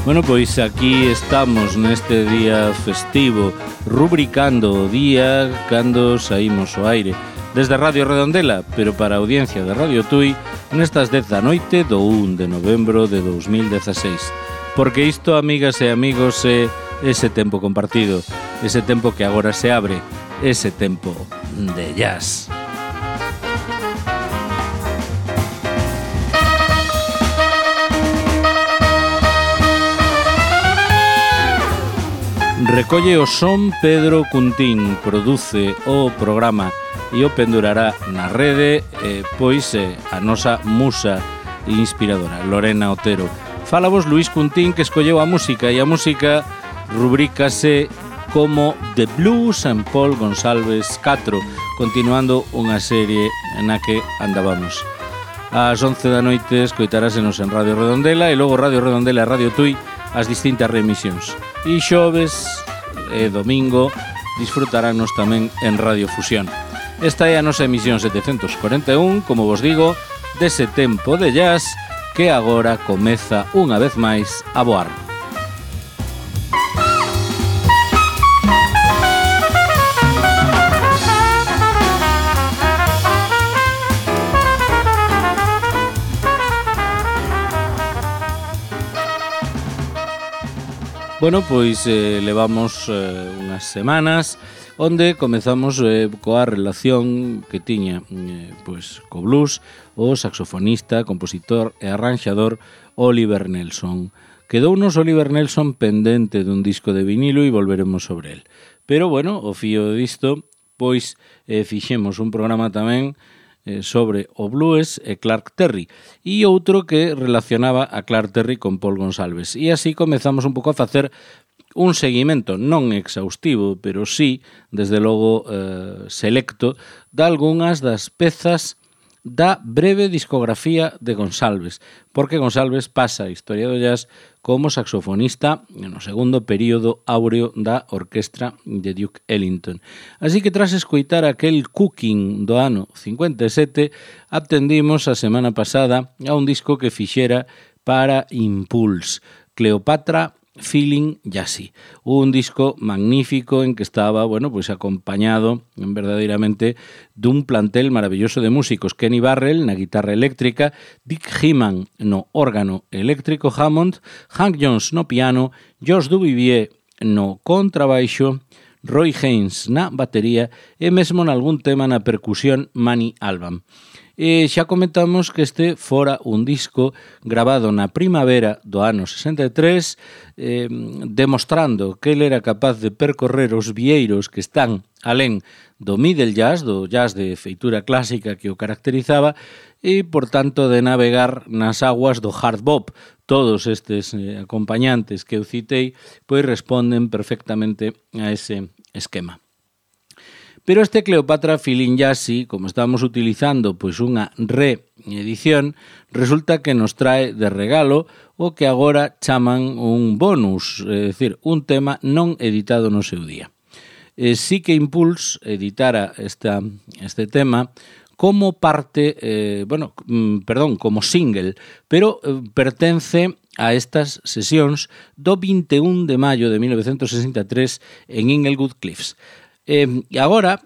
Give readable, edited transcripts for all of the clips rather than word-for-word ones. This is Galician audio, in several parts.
Bueno, pois aquí estamos neste día festivo, rubricando o día cando saímos ao aire desde Radio Redondela, pero para a audiencia de Radio Tui nestas 10 da noite do 1 de novembro de 2016. Porque isto, amigas e amigos, é ese tempo compartido, ese tempo que agora se abre, ese tempo de jazz. Recolle o son Pedro Cuntín, produce o programa e o pendurará na rede, pois a nosa musa inspiradora, Lorena Otero. Fálabos Luís Cuntín, que escolleu a música, e a música rubrícase como The Blues and Paul Gonsalves 4, continuando unha serie na que andábamos. Ás 11 da noite escoitarásenos en Radio Redondela e logo Radio Redondela e Radio Tui as distintas remisións. E xoves e domingo disfrutarános tamén en Radio Fusión. Esta é a nosa emisión 741, como vos digo, dese tempo de jazz que agora comeza unha vez máis a voar. Bueno, pois levamos unhas semanas onde comezamos coa relación que tiña pois co blues o saxofonista, compositor e arranxador Oliver Nelson. Quedounos Oliver Nelson pendente dun disco de vinilo e volveremos sobre el. Pero, bueno, o fío disto, pois fixemos un programa tamén sobre o blues e Clark Terry e outro que relacionaba a Clark Terry con Paul Gonsalves, e así comezamos un pouco a facer un seguimento non exhaustivo, pero sí, desde logo selecto, de algunhas das pezas da breve discografía de Gonsalves, porque Gonsalves pasa a historia do jazz como saxofonista no segundo período áureo da orquestra de Duke Ellington. Así que tras escoitar aquel Cooking do ano 57, atendimos a semana pasada a un disco que fixera para Impulse, Cleopatra Feeling Jazzy, un disco magnífico en que estaba, bueno, pues acompañado verdadeiramente dun plantel maravilloso de músicos: Kenny Barrell na guitarra eléctrica, Dick Hyman no órgano eléctrico Hammond, Hank Jones no piano, George Duvivier no contrabaixo, Roy Haynes na batería e mesmo nalgún tema na percusión Manny Alban. E xa comentamos que este fora un disco grabado na primavera do ano 63, demostrando que ele era capaz de percorrer os vieiros que están alén do middle jazz, do jazz de feitura clásica que o caracterizaba, e, por tanto, de navegar nas aguas do hard bop. Todos estes acompañantes que eu citei pois responden perfectamente a ese esquema. Pero este Cleopatra Feeling Jazzy, como estamos utilizando pois unha reedición, resulta que nos trae de regalo o que agora chaman un bonus, é dicir, un tema non editado no seu día. Sí que Impulse editara este tema como parte, como single, pero pertence a estas sesións do 21 de maio de 1963 en Inglewood Cliffs. E agora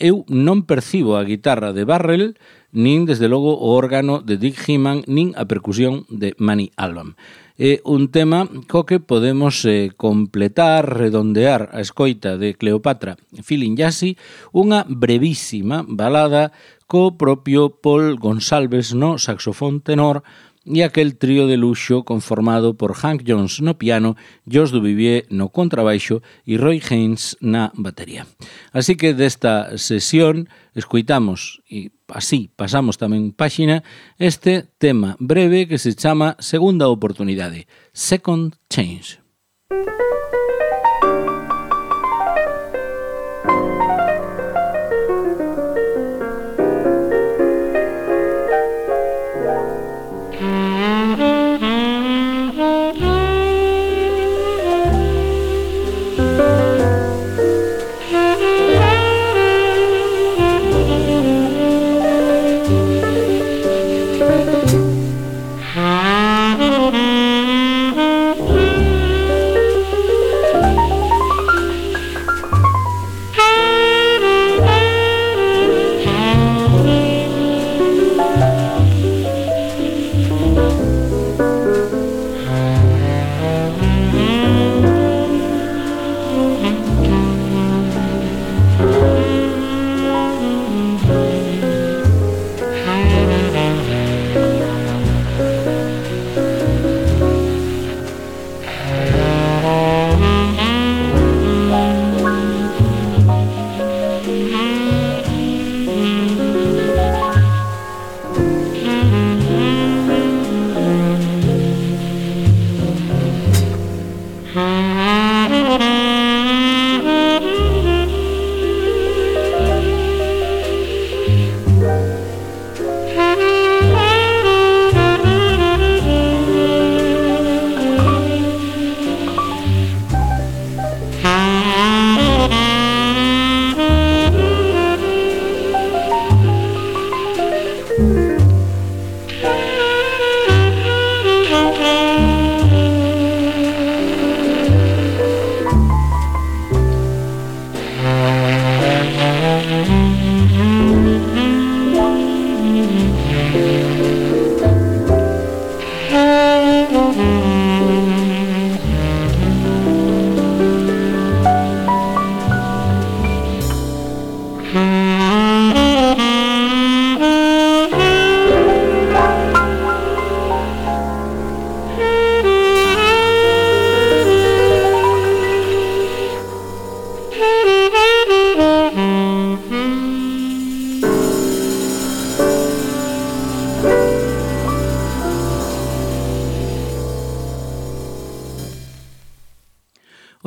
eu non percibo a guitarra de Barrell, nin desde logo o órgano de Dick Hyman, nin a percusión de Manny Alban. É un tema co que podemos completar, redondear a escoita de Cleopatra Feeling Jazzy, unha brevísima balada co propio Paul Gonsalves no saxofón tenor e aquel trío de luxo conformado por Hank Jones no piano, George Duvivier no contrabaixo e Roy Haynes na batería. Así que desta sesión escoitamos, e así pasamos tamén páxina, este tema breve que se chama Segunda Oportunidade, Second Change.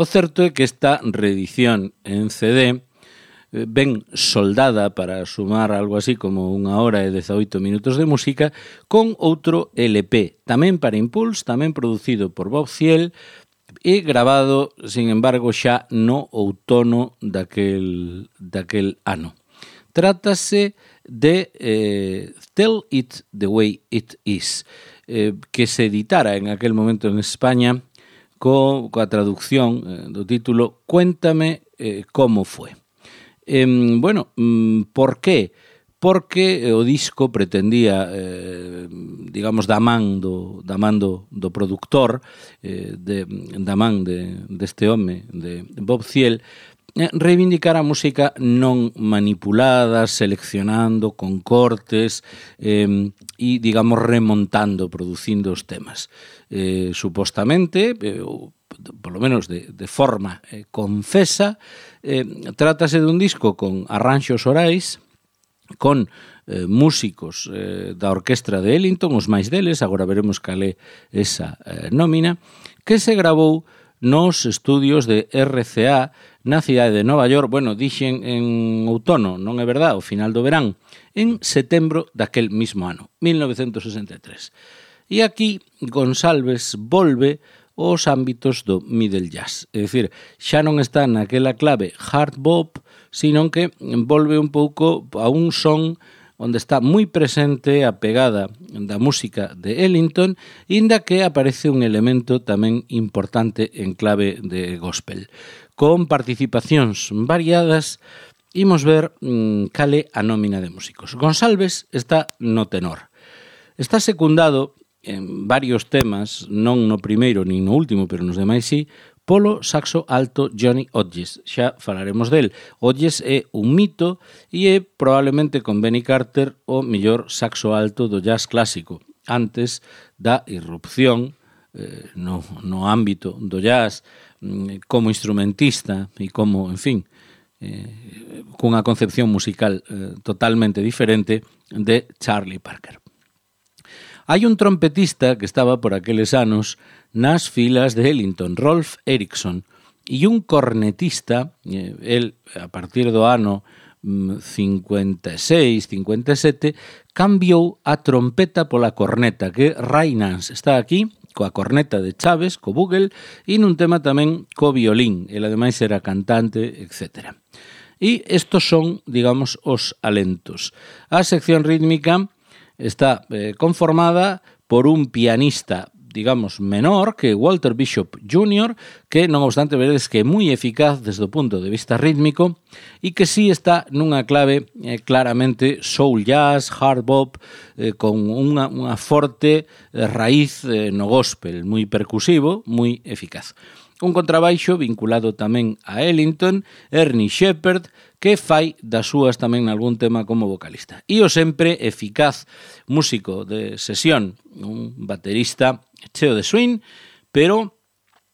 O certo é que esta reedición en CD ben soldada para sumar algo así como 1 hora e 18 minutos de música con outro LP, tamén para Impulse, tamén producido por Bob Thiel e grabado, sin embargo, xa no outono daquel ano. Trátase de Tell It The Way It Is, que se editara en aquel momento en España coa traducción do título Cuéntame como fue. Por qué? Porque o disco pretendía, digamos, da man do productor, da man deste home, de Bob Thiel, reivindicar a música non manipulada, seleccionando con cortes e, digamos, remontando, producindo os temas. Supostamente, polo menos de forma confesa, trátase dun disco con arranxos orais, con músicos da orquestra de Ellington, os máis deles, agora veremos cal é esa nómina, que se gravou nos estudios de RCA na cidade de Nova York, dixen en outono, non é verdad, ao final do verán, en setembro daquel mismo ano, 1963. E aquí Gonsalves volve aos ámbitos do middle jazz, é dicir, xa non está naquela clave hard bop, sino que volve un pouco a un son onde está moi presente a pegada da música de Ellington, inda que aparece un elemento tamén importante en clave de gospel. Con participacións variadas, imos ver cal é a nómina de músicos. Gonsalves está no tenor. Está secundado en varios temas, non no primeiro nin no último, pero nos demais sí, polo saxo alto Johnny Hodges. Xa falaremos del. Hodges é un mito e é probablemente con Benny Carter o mellor saxo alto do jazz clásico, antes da irrupción no ámbito do jazz como instrumentista e como, en fin, cunha concepción musical totalmente diferente de Charlie Parker. Hai un trompetista que estaba por aqueles anos nas filas de Ellington, Rolf Erickson, e un cornetista, el a partir do ano 56, 57, cambiou a trompeta pola corneta, que Ray Nance está aquí, coa corneta de Chaves, co bugle, e nun tema tamén co violín, el ademais era cantante, etc. E estos son, digamos, os alentos. A sección rítmica está conformada por un pianista digamos, menor que Walter Bishop Jr., que non obstante veredes que é moi eficaz desde o punto de vista rítmico e que sí está nunha clave claramente soul jazz, hard bop, con unha forte raíz no gospel, moi percusivo, moi eficaz. Un contrabaixo vinculado tamén a Ellington, Ernie Shepherd, que fai das súas tamén nalgún tema como vocalista. E o sempre eficaz músico de sesión, un baterista cheo de swing, pero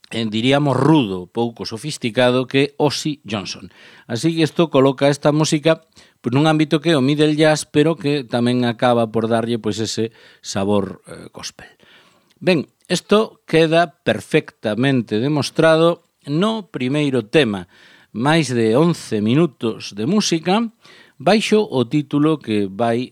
diríamos rudo, pouco sofisticado, que Ozzy Johnson. Así que isto coloca esta música pues, nun ámbito que é o middle jazz, pero que tamén acaba por darlle pues, ese sabor gospel. Ben, isto queda perfectamente demostrado no primeiro tema, máis de 11 minutos de música, baixo o título que vai,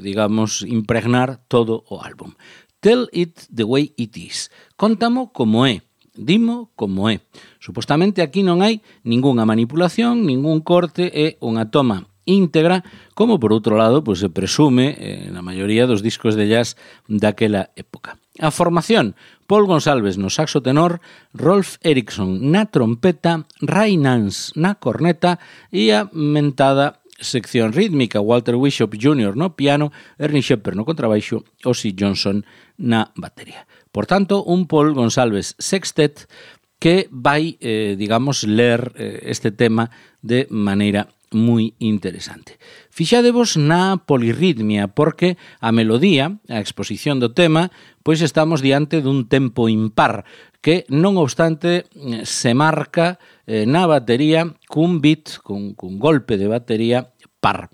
digamos, impregnar todo o álbum. Tell It The Way It Is. Contamo como é, dimo como é. Supostamente aquí non hai ningunha manipulación, ningún corte, é unha toma íntegra, como por outro lado pues, se presume na maioría dos discos de jazz daquela época. A formación, Paul Gonsalves no saxo tenor, Rolf Eriksson na trompeta, Ray Nance na corneta e a mentada sección rítmica, Walter Bishop Jr. no piano, Ernie Shepherd no contrabaixo, Ozzy Johnson na batería. Por tanto, un Paul Gonsalves sextet que vai, digamos, ler este tema de maneira moi interesante. Fixadevos na polirritmia, porque a melodía, a exposición do tema, pois estamos diante dun tempo impar, que non obstante se marca na batería cun beat, cun golpe de batería par.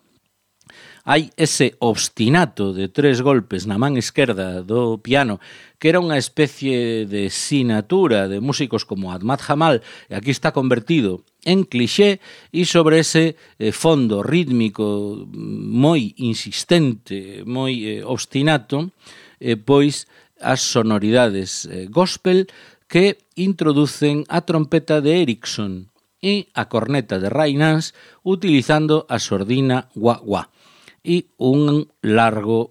Hai ese obstinato de 3 golpes na man esquerda do piano, que era unha especie de sinatura de músicos como Ahmad Jamal, e aquí está convertido en cliché, e sobre ese fondo rítmico moi insistente, moi obstinato, pois as sonoridades gospel que introducen a trompeta de Eriksson e a corneta de Ray Nance utilizando a sordina wah-wah. E un largo,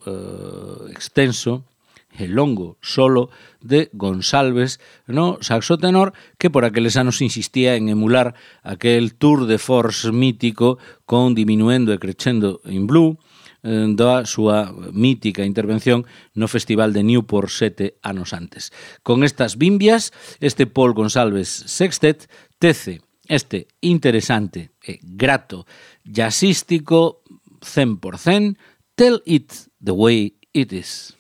extenso e longo solo de Gonsalves no saxo tenor, que por aqueles anos insistía en emular aquel tour de force mítico con diminuendo e crescendo in blue da súa mítica intervención no Festival de Newport 7 anos antes. Con estas bimbias, este Paul Gonsalves sextet tece este interesante e grato jazzístico 100%, Tell It The Way It Is.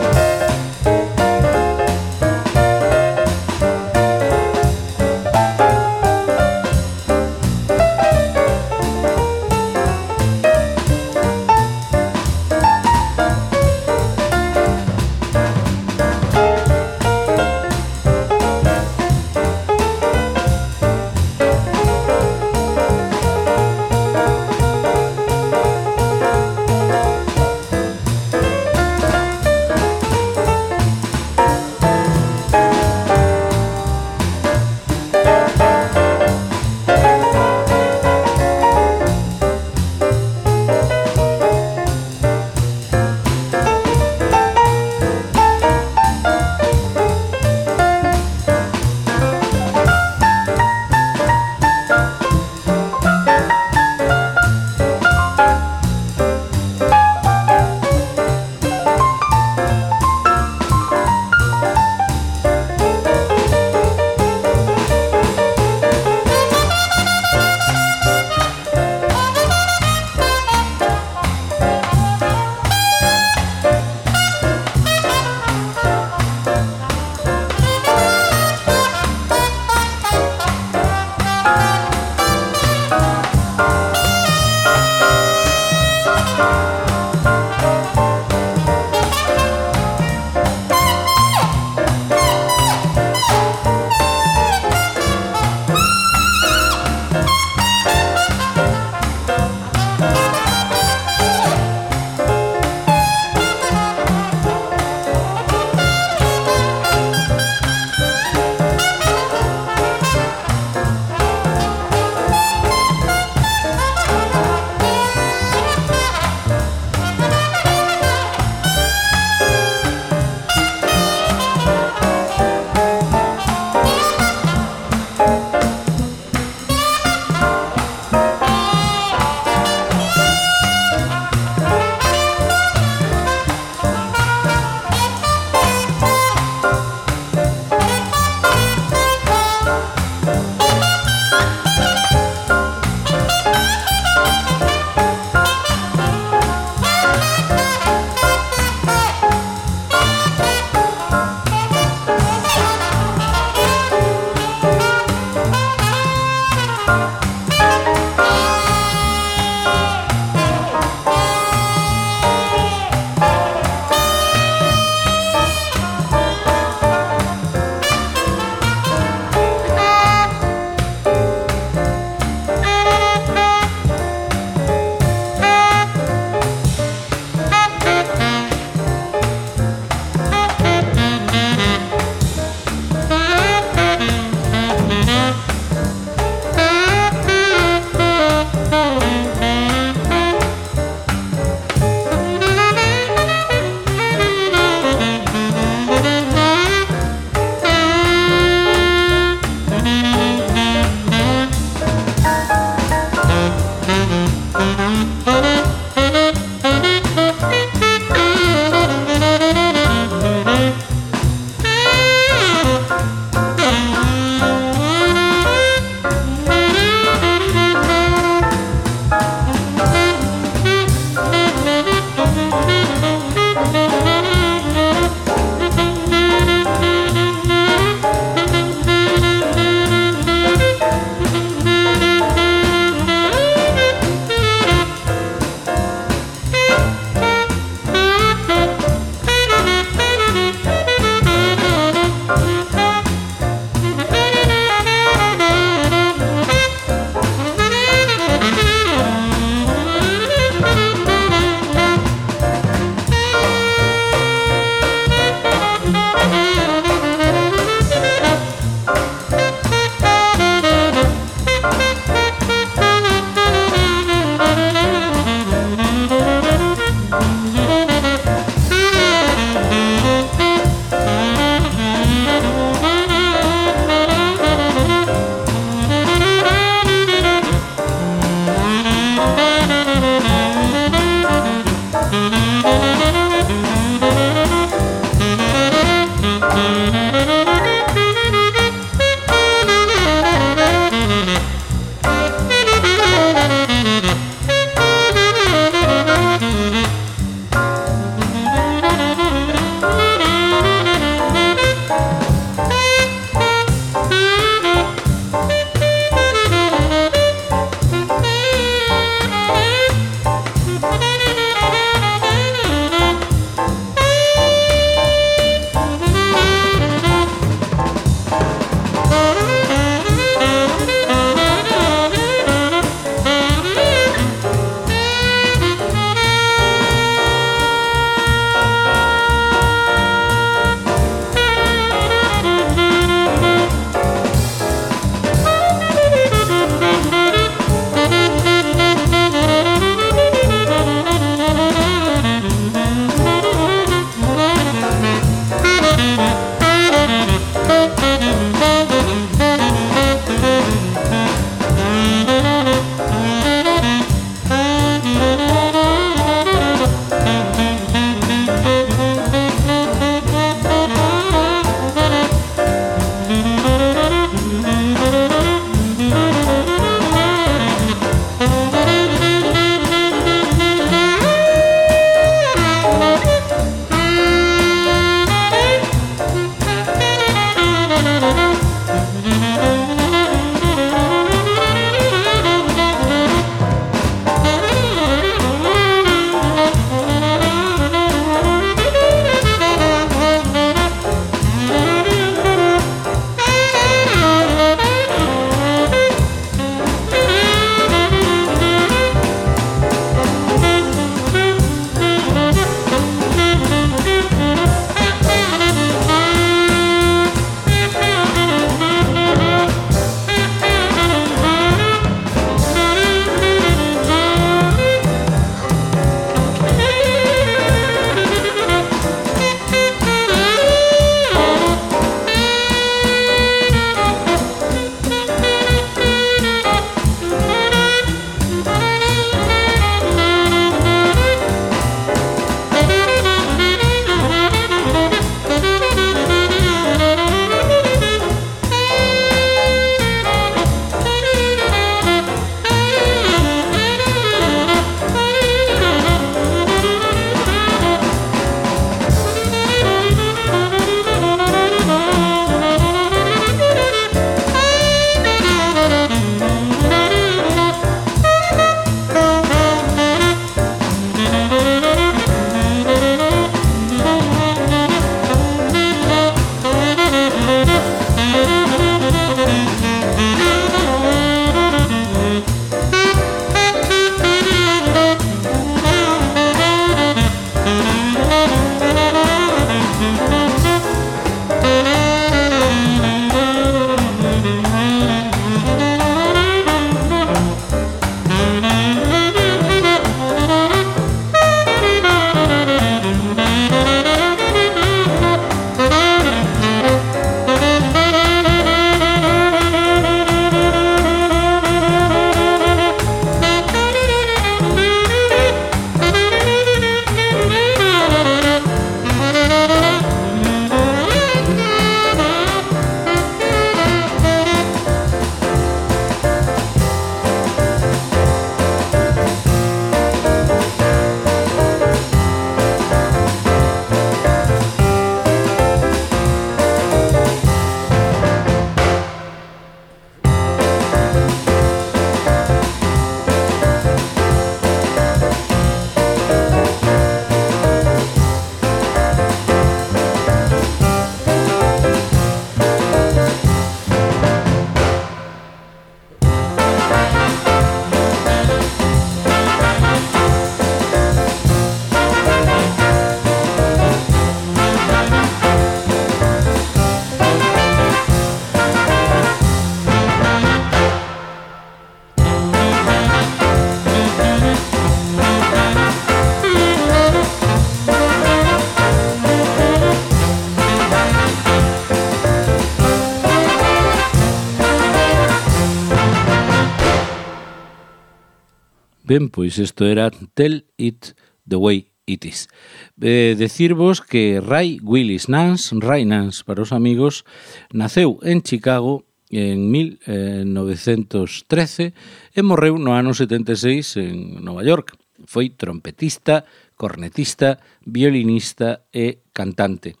Ben, pois isto era Tell It the Way It Is. Decirvos que Ray Willis Nance, Ray Nance para os amigos, naceu en Chicago en 1913 e morreu no ano 76 en Nova York. Foi trompetista, cornetista, violinista e cantante.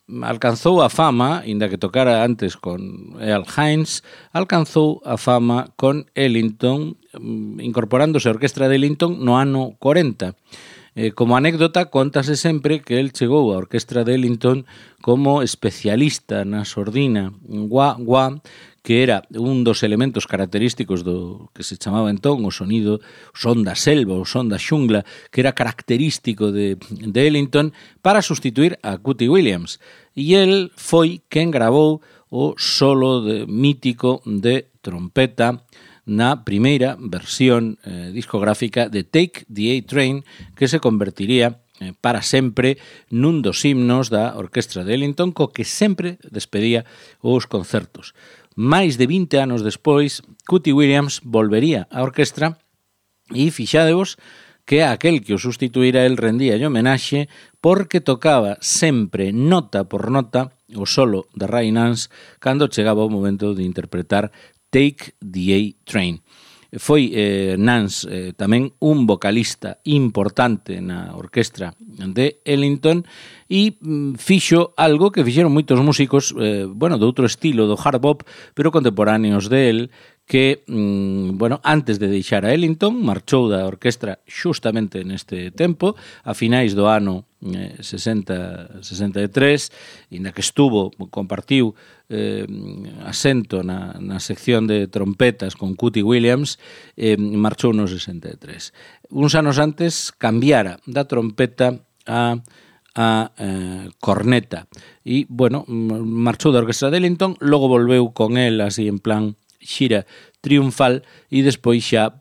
Alcanzou a fama, inda que tocara antes con Earl Hines, alcanzou a fama con Ellington, incorporándose a orquestra de Ellington no ano 40. Como anécdota, contase sempre que el chegou á orquestra de Ellington como especialista na sordina wah-wah, que era un dos elementos característicos do que se chamaba entón o sonido, o son da selva, o son da xungla, que era característico de Ellington, para sustituir a Cootie Williams. E el foi quen gravou o solo mítico de trompeta na primeira versión discográfica de Take the A-Train, que se convertiría para sempre nun dos himnos da orquestra de Ellington, co que sempre despedía os concertos. Mais de 20 anos despois, Cootie Williams volvería á orquestra e fixadevos que aquel que o sustituíra el rendía homenaxe porque tocaba sempre nota por nota o solo de Ray Nance cando chegaba o momento de interpretar Take the A-Train. Foi Nance tamén un vocalista importante na orquestra de Ellington e fixo algo que fixeron moitos músicos de outro estilo do hard bop, pero contemporáneos de él, que, antes de deixar a Ellington, marchou da orquestra xustamente neste tempo, a finais do ano 63, e na que compartiu asento na sección de trompetas con Cootie Williams, marchou no 63. Uns anos antes cambiara da trompeta a corneta e, marchou da orquestra de Ellington, logo volveu con el así en plan xira triunfal e despois xa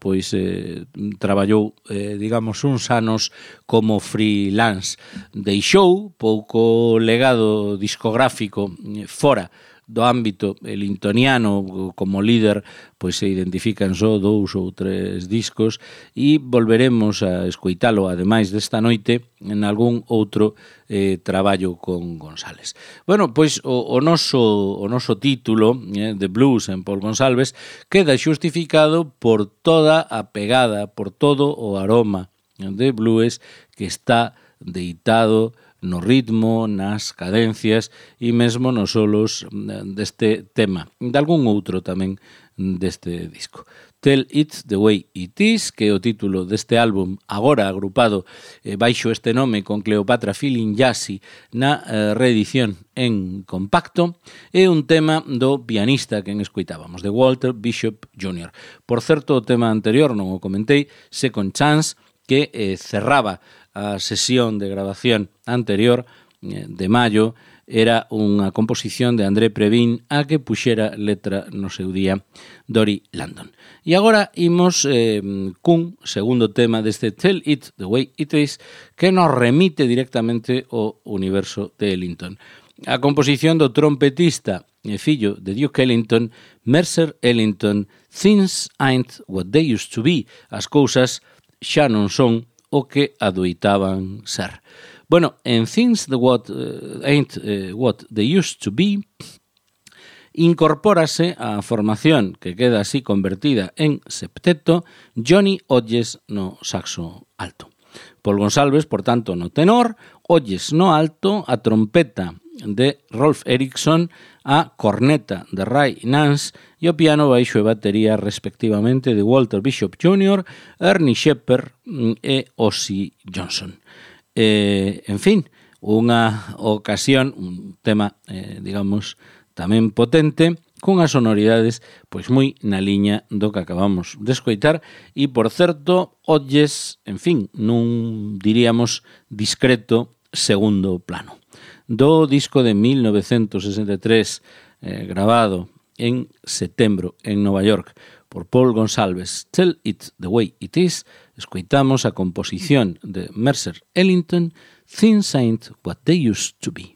traballou, uns anos como freelance. Deixou pouco legado discográfico fora do ámbito ellingtoniano. Como líder se identifican só 2 ou 3 discos e volveremos a escoitalo, ademais desta noite, en algún outro traballo con González. O noso título, The Blues en Paul González, queda xustificado por toda a pegada, por todo o aroma de blues que está deitado no ritmo, nas cadencias e mesmo nos solos deste tema, de algún outro tamén deste disco. Tell It the Way It Is, que é o título deste álbum, agora agrupado baixo este nome con Cleopatra Feeling Jazzy na reedición en compacto, é un tema do pianista que escoitábamos, de Walter Bishop Jr. Por certo, o tema anterior, non o comentei, Second Chance, que cerraba a sesión de grabación anterior de maio, era unha composición de André Previn a que puxera letra no seu día Dory Landon. E agora imos cun segundo tema deste Tell It the Way It Is, que nos remite directamente ao universo de Ellington. A composición do trompetista e fillo de Duke Ellington, Mercer Ellington, Things Ain't What They Used to Be. As cousas xa non son o que adoitaban ser. En Things Ain't What They Used to Be, incorpórase a formación que queda así convertida en septeto, Johnny Hodges no saxo alto. Paul González, por tanto, no tenor, Hodges no alto, a trompeta de Rolf Erickson, a corneta de Ray Nance e o piano, baixo e batería respectivamente de Walter Bishop Jr., Ernie Shepherd e Ozzie Johnson. En fin, unha ocasión, un tema, tamén potente, cunhas sonoridades moi na liña do que acabamos de escoitar e, por certo, Hodges, en fin, nun diríamos discreto segundo plano. Do disco de 1963, grabado en setembro en Nova York por Paul González, Tell It the Way It Is, escoitamos a composición de Mercer Ellington, Things Ain't What They Used to Be.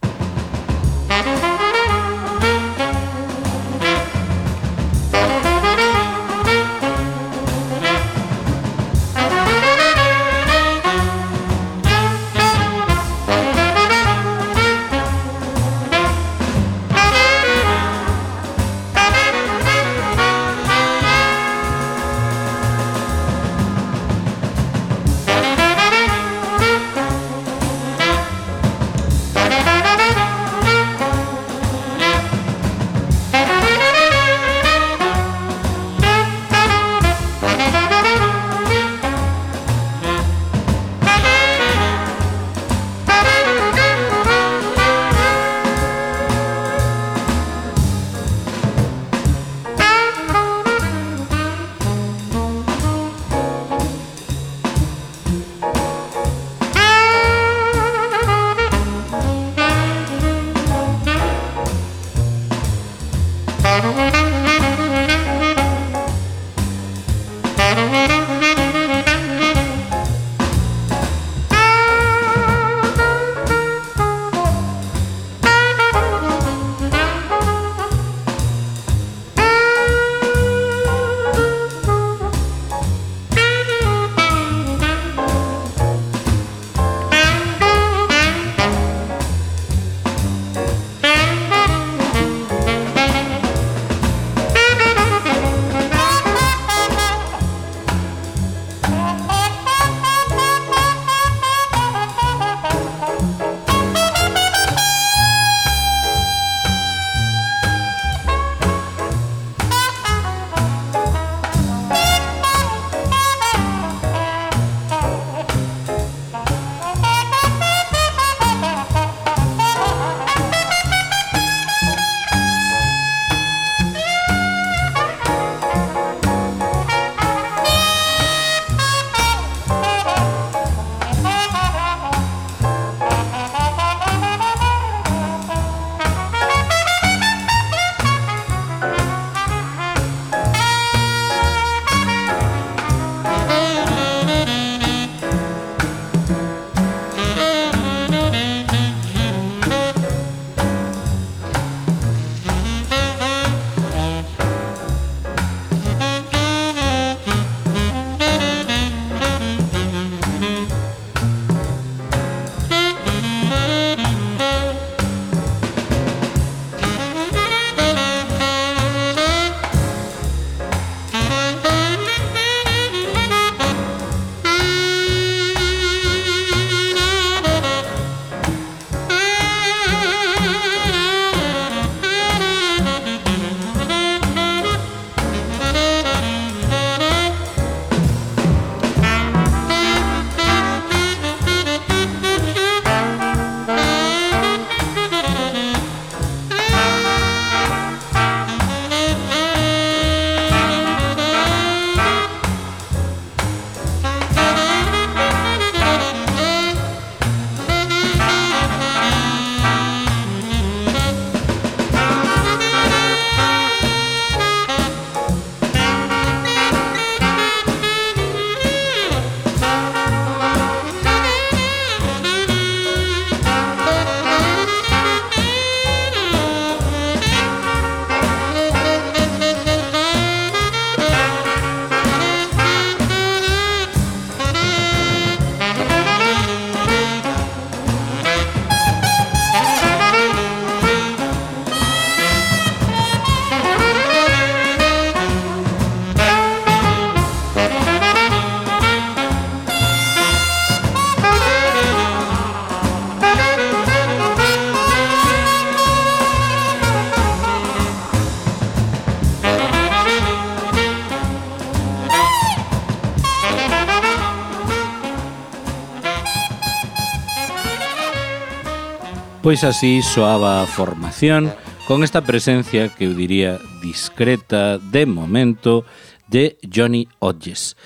Pois así soaba a formación con esta presencia que eu diría discreta de momento de Johnny Hodges,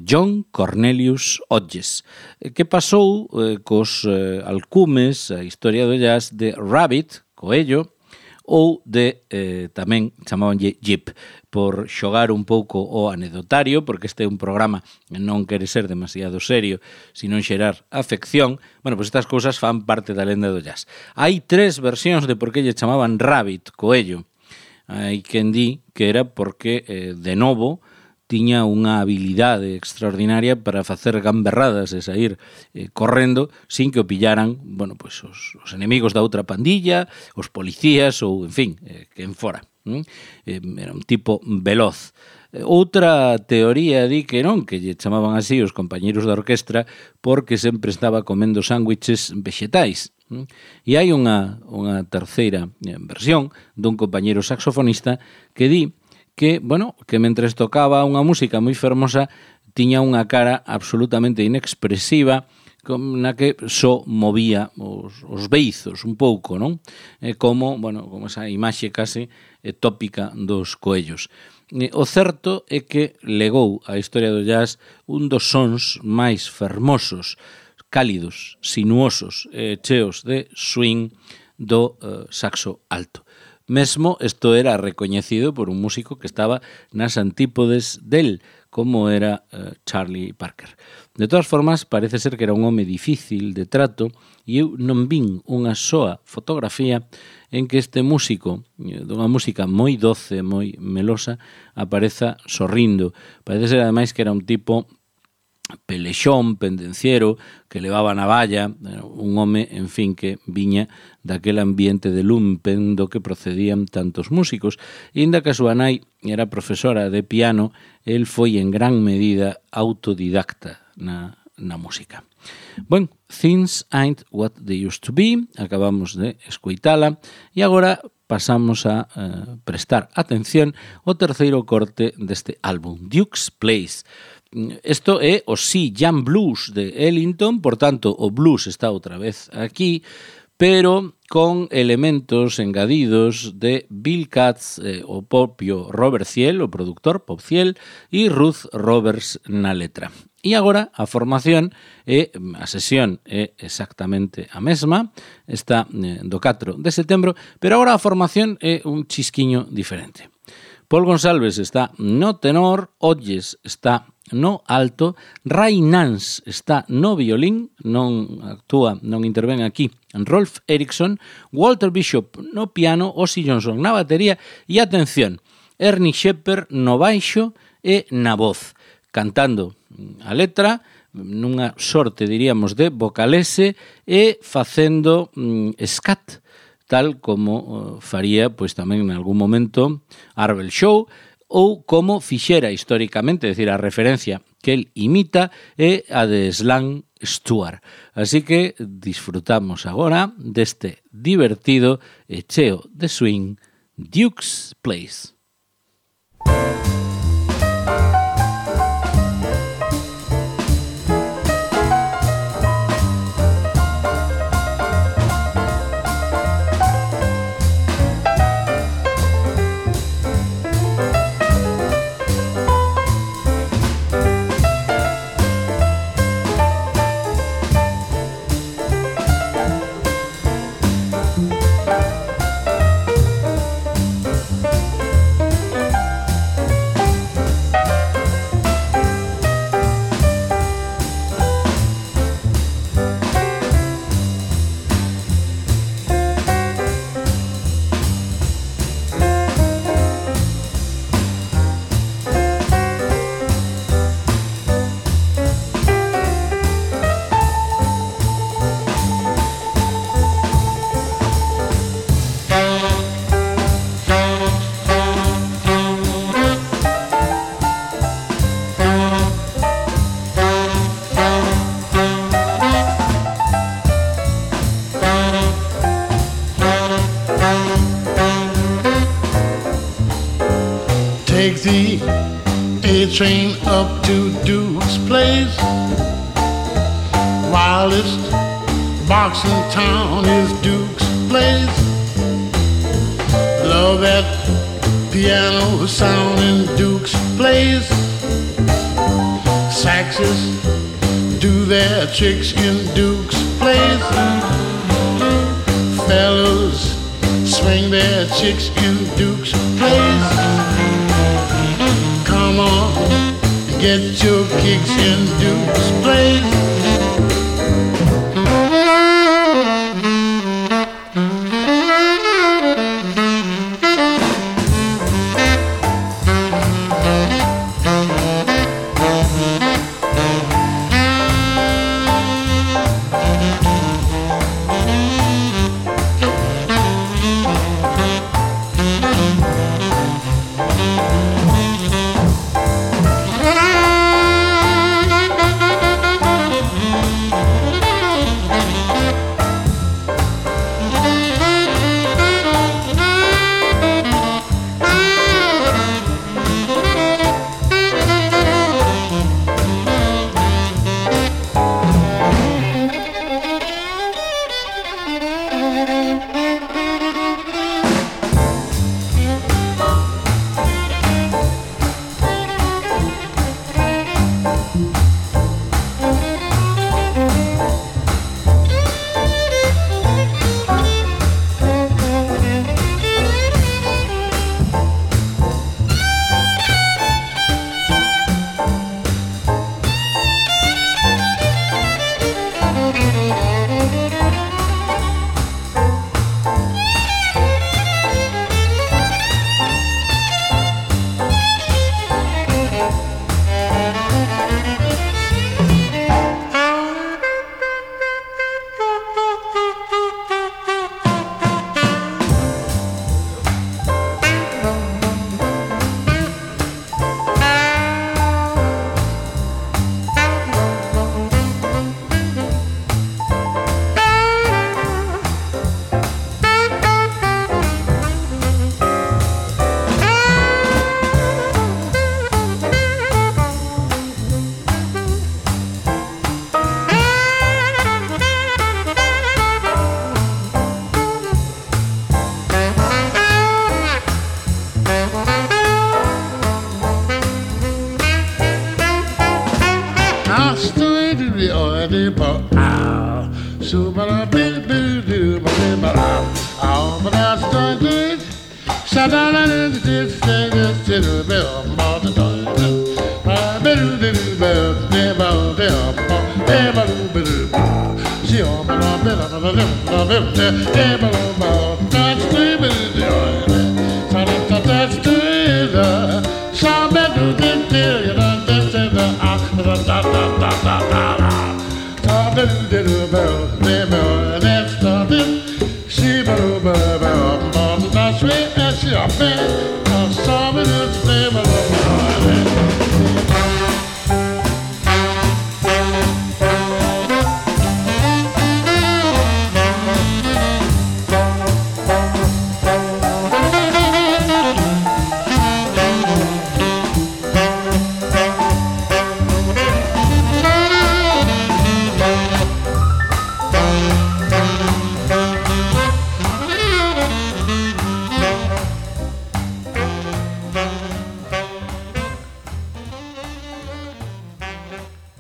John Cornelius Hodges, que pasou cos alcumes a historia do jazz de Rabbit, coello, ou de, tamén chamabanlle Jeep, por xogar un pouco o anedotario, porque este é un programa que non quere ser demasiado serio, sino xerar afección. Bueno, pois estas cousas fan parte da lenda do jazz. Hai 3 versións de por que lle chamaban Rabbit, coello. Hai quen di que era porque, de novo, tiña unha habilidade extraordinaria para facer gamberradas e sair correndo sin que o pillaran, bueno, pois os enemigos da outra pandilla, os policías ou, en fin, quen fora. Era un tipo veloz. Outra teoría di que non, que lle chamaban así os compañeros da orquestra porque sempre estaba comendo sándwiches vexetais. E hai unha terceira versión dun compañeiro saxofonista que di que, bueno, que mentres tocaba unha música moi fermosa tiña unha cara absolutamente inexpresiva na que só movía os beizos un pouco, non? Como, bueno, como esa imaxe case tópica dos coellos. O certo é que legou á historia do jazz un dos sons máis fermosos, cálidos, sinuosos, cheos de swing do saxo alto. Mesmo isto era recoñecido por un músico que estaba nas antípodes del, como era Charlie Parker. De todas formas, parece ser que era un home difícil de trato e eu non vin unha soa fotografía en que este músico, dunha música moi doce, moi melosa, apareza sorrindo. Parece ser, ademais, que era un tipo pelexón, pendenciero, que levaba navalla, un home, en fin, que viña daquele ambiente de lumpen do que procedían tantos músicos. E inda que a súa nai era profesora de piano, el foi en gran medida autodidacta na música. Bueno, Things Ain't What They Used to Be, acabamos de escoitala, e agora pasamos a prestar atención ao terceiro corte deste álbum, Duke's Place. Isto é o Sea Jam Blues de Ellington, por tanto, o blues está outra vez aquí, pero con elementos engadidos de Bill Katz, o propio Robert Thiel, o productor Pop Thiel, e Ruth Roberts na letra. E agora a formación a sesión é exactamente a mesma, está do 4 de setembro, pero agora a formación é un chisquiño diferente. Paul Gonsalves está no tenor, Olles está no alto, Ray Nance está no violín, non intervén aquí Rolf Eriksson, Walter Bishop no piano, Ozzy Johnson na batería e, atención, Ernie Shepard no baixo e na voz, cantando a letra nunha sorte, diríamos, de vocalese e facendo scat, tal como faría, pois tamén en algún momento, Arbel Shaw, ou como fixera históricamente, é dicir, a referencia que el imita é a de Slan Stewart. Así que disfrutamos agora deste divertido e cheo de swing Duke's Place. Take the A-train up to Duke's Place. Wildest box in town is Duke's Place. Love that piano sound in Duke's Place. Saxes do their tricks in Duke's Place. Fellas swing their chicks in Duke's Place. Come on, get your kicks in Duke's Place.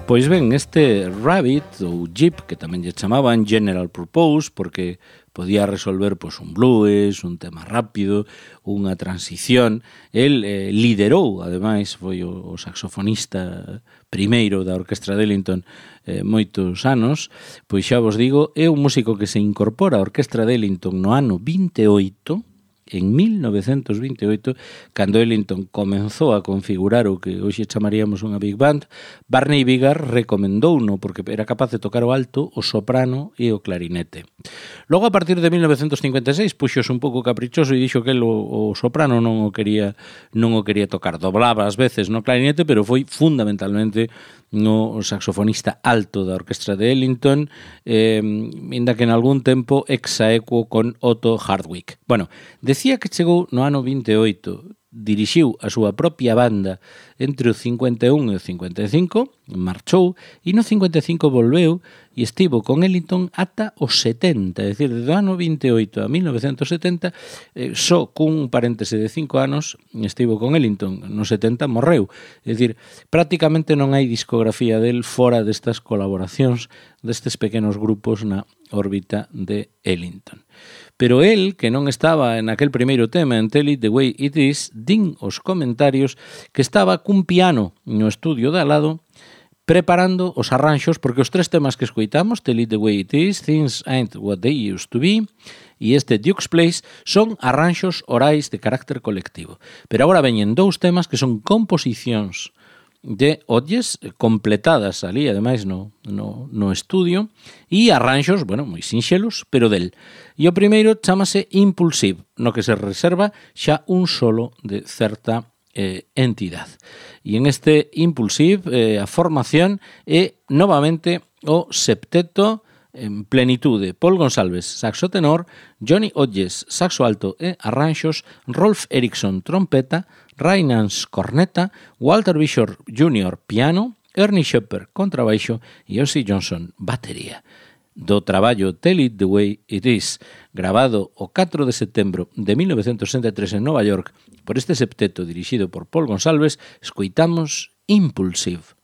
Pois ben, este Rabbit ou Jeep, que tamén lle chamaban General Purpose, porque podía resolver pois, un blues, un tema rápido, unha transición. El liderou, ademais, foi o saxofonista primeiro da Orquestra de Ellington moitos anos. Pois xa vos digo, é un músico que se incorpora á Orquestra de Ellington no ano 28, en 1928, cando Ellington comenzou a configurar o que hoxe chamaríamos unha big band. Barney Biggar recomendouno porque era capaz de tocar o alto, o soprano e o clarinete. Logo, a partir de 1956, puxose un pouco caprichoso e dixo que o soprano non o quería tocar. Doblaba ás veces no clarinete, pero foi fundamentalmente no saxofonista alto da Orquestra de Ellington, inda que en algún tempo exaequo con Otto Hardwick. Bueno, decía que chegou no ano 28, dirixiu a súa propia banda entre o 51 e o 55, marchou, e no 55 volveu e estivo con Ellington ata os 70, é dicir, do ano 28 a 1970, só cun paréntese de 5 anos estivo con Ellington, no 70 morreu, é dicir, prácticamente non hai discografía del fora destas colaboracións destes pequenos grupos na órbita de Ellington. Pero el, que non estaba en aquel primeiro tema, en Tell It The Way It Is, din os comentarios que estaba cun piano no estudio de al lado preparando os arranxos, porque os tres temas que escoitamos, Tell It The Way It Is, Things Ain't What They Used To Be e este Duke's Place, son arranxos orais de carácter colectivo. Pero agora veñen dous temas que son composicións de Hodges, completadas ali, ademais, no estudio, e arranxos, bueno, moi sinxelos, pero del. E o primeiro chamase Impulsive, no que se reserva xa un solo de certa entidad. E en este Impulsive, a formación é novamente o septeto en plenitude: Paul Gonsalves, saxo tenor, Johnny Hodges, saxo alto e arranxos, Rolf Erickson, trompeta, Ray Nance, corneta, Walter Bishop Jr., piano, Ernie Shepard, contrabaixo e Ozzy Johnson, batería. Do traballo Tell It The Way It Is, grabado o 4 de setembro de 1963 en Nova York por este septeto dirixido por Paul Gonsalves, escoitamos Impulsive.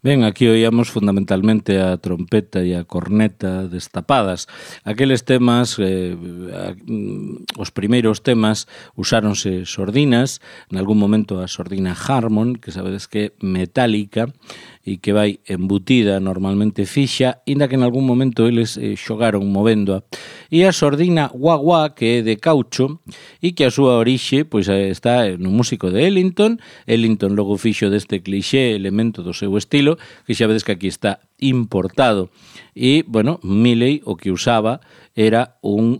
Ben, aquí oíamos fundamentalmente a trompeta e a corneta destapadas. Aqueles temas, os primeiros temas, usáronse sordinas, en algún momento a sordina Harmon, que sabedes que é metálica, e que vai embutida normalmente fixa, inda que en algún momento eles xogaron movéndoa. E a sordina wah-wah, que é de caucho, e que a súa orixe pois, está no músico de Ellington. Ellington logo fixo deste cliché elemento do seu estilo, que xa vedes que aquí está importado. E, bueno, Miley o que usaba era un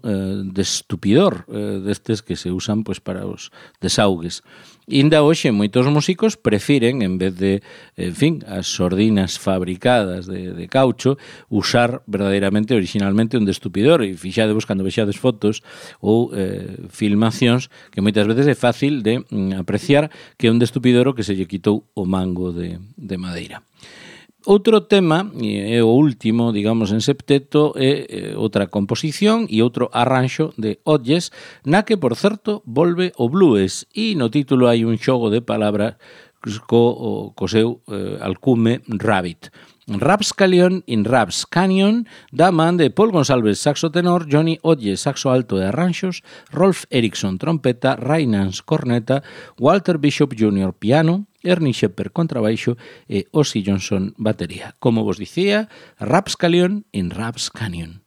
destupidor destes que se usan pois, para os desaugues. Inda hoxe moitos músicos prefiren, en vez de, en fin, as sordinas fabricadas de caucho, usar verdadeiramente, originalmente, un destupidor. E fixadevos cando vexades fotos ou filmacións que moitas veces é fácil de apreciar que é un destupidor o que se lle quitou o mango de madeira. Outro tema, e o último, digamos, en septeto, é outra composición e outro arranxo de Hodges, na que, por certo, volve o blues, e no título hai un xogo de palabras co seu alcume Rabbit. Rapscallion in Raps Canyon, da man de Paul Gonsalves, saxo tenor, Johnny Hodges, saxo alto e arranxos, Rolf Erickson, trompeta, Ray Nance, corneta, Walter Bishop Jr., piano, Ernie Shepard, contrabaixo e Ozzy Johnson, batería. Como vos dicía, Rapscallion in Raps Canyon.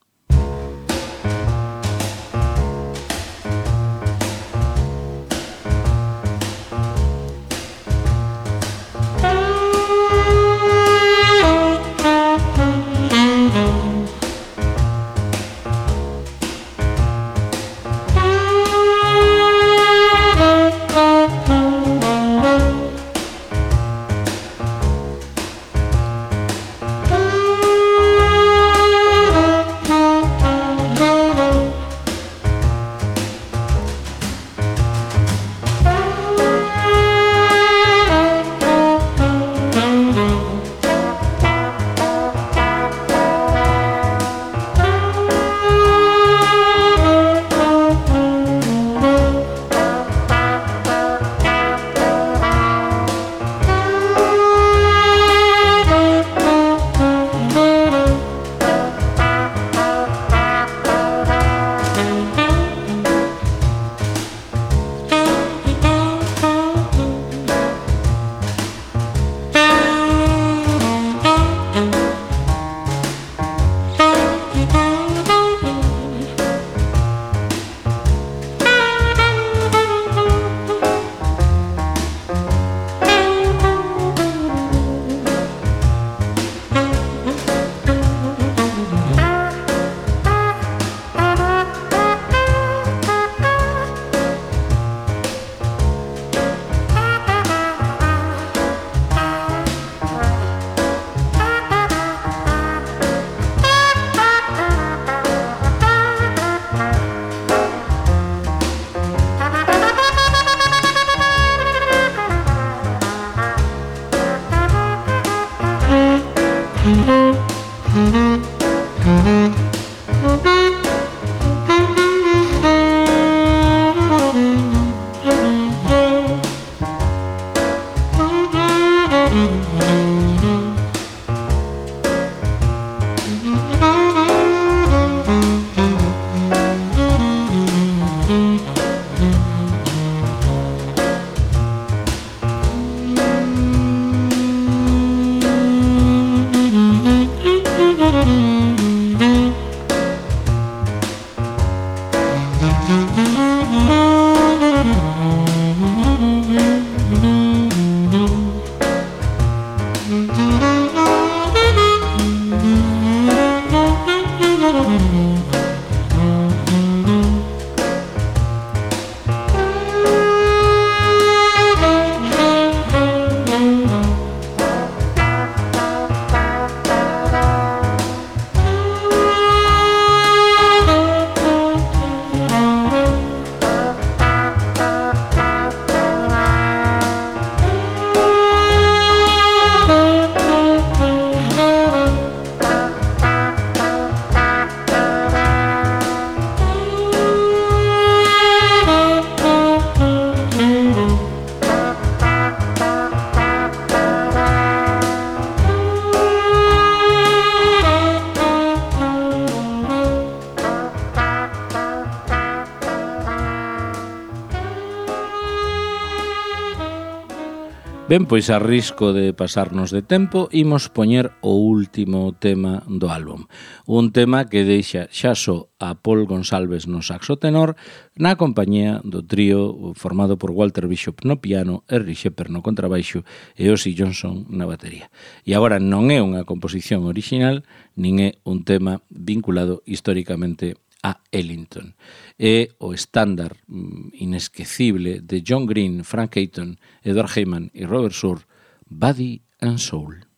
Ben, pois a risco de pasarnos de tempo, imos poñer o último tema do álbum. Un tema que deixa xa só a Paul Gonsalves no saxo tenor na compañía do trío formado por Walter Bishop no piano, Henry Shepard no contrabaixo e Ozzy Johnson na batería. E agora non é unha composición original, nin é un tema vinculado históricamente a Ellington. É o estándar inesquecible de John Green, Frank Ayton, Edward Heyman e Robert Soul, Body and Soul.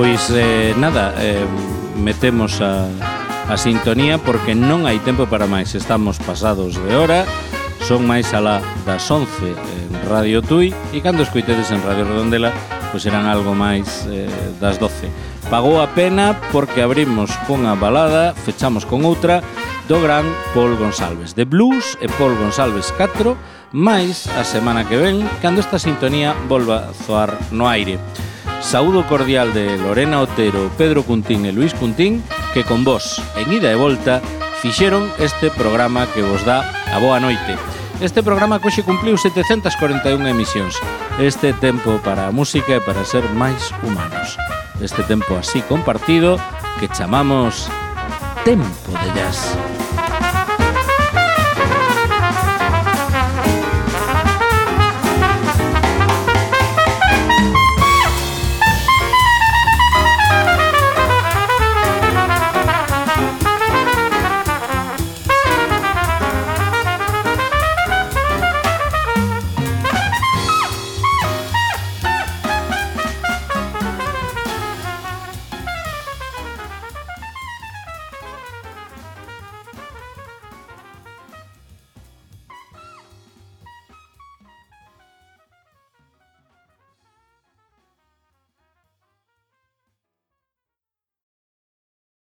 Pois nada, metemos a sintonía porque non hai tempo para máis. Estamos pasados de hora, son máis alá das 11 en Radio Tui, e cando escoitedes en Radio Redondela pois serán algo máis das 12. Pagou a pena porque abrimos con a balada, fechamos con outra do gran Paul Gonsalves, de blues e Paul Gonsalves 4, máis a semana que ven, cando esta sintonía volva a zoar no aire. Saúdo cordial de Lorena Otero, Pedro Cuntín e Luís Cuntín, que con vos, en ida e volta, fixeron este programa que vos dá a boa noite. Este programa que hoxe cumpliu 741 emisións. Este tempo para a música e para ser máis humanos. Este tempo así compartido que chamamos Tempo de Jazz.